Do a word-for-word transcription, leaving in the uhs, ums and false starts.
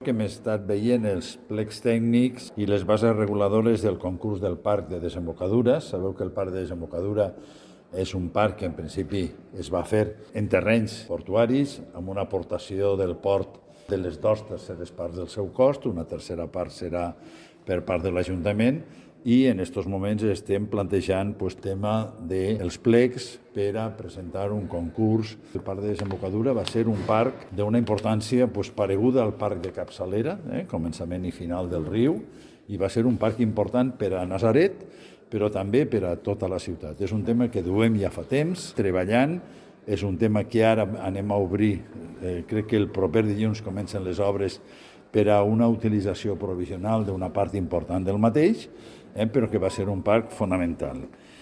que hem estat veient els plecs tècnics i les bases reguladores del concurs del parc de desembocadura. Sabeu que el parc de desembocadura és un parc que en principi es va fer en terrenys portuaris, amb una aportació del port de les dues terceres parts del seu cost, una tercera part serà per part de l'Ajuntament, i en aquests moments estem plantejant el tema dels plecs per a presentar un concurs. El parc de desembocadura va ser un parc d'una importància pareguda al parc de Capçalera, eh, començament i final del riu, i va ser un parc important per a Natzaret, però també per a tota la ciutat. És un tema que duem ja fa temps treballant, és un tema que ara anem a obrir, eh, crec que el proper dilluns comencen les obres per a una utilització provisional d'una part important del mateix, eh, però que va ser un parc fonamental.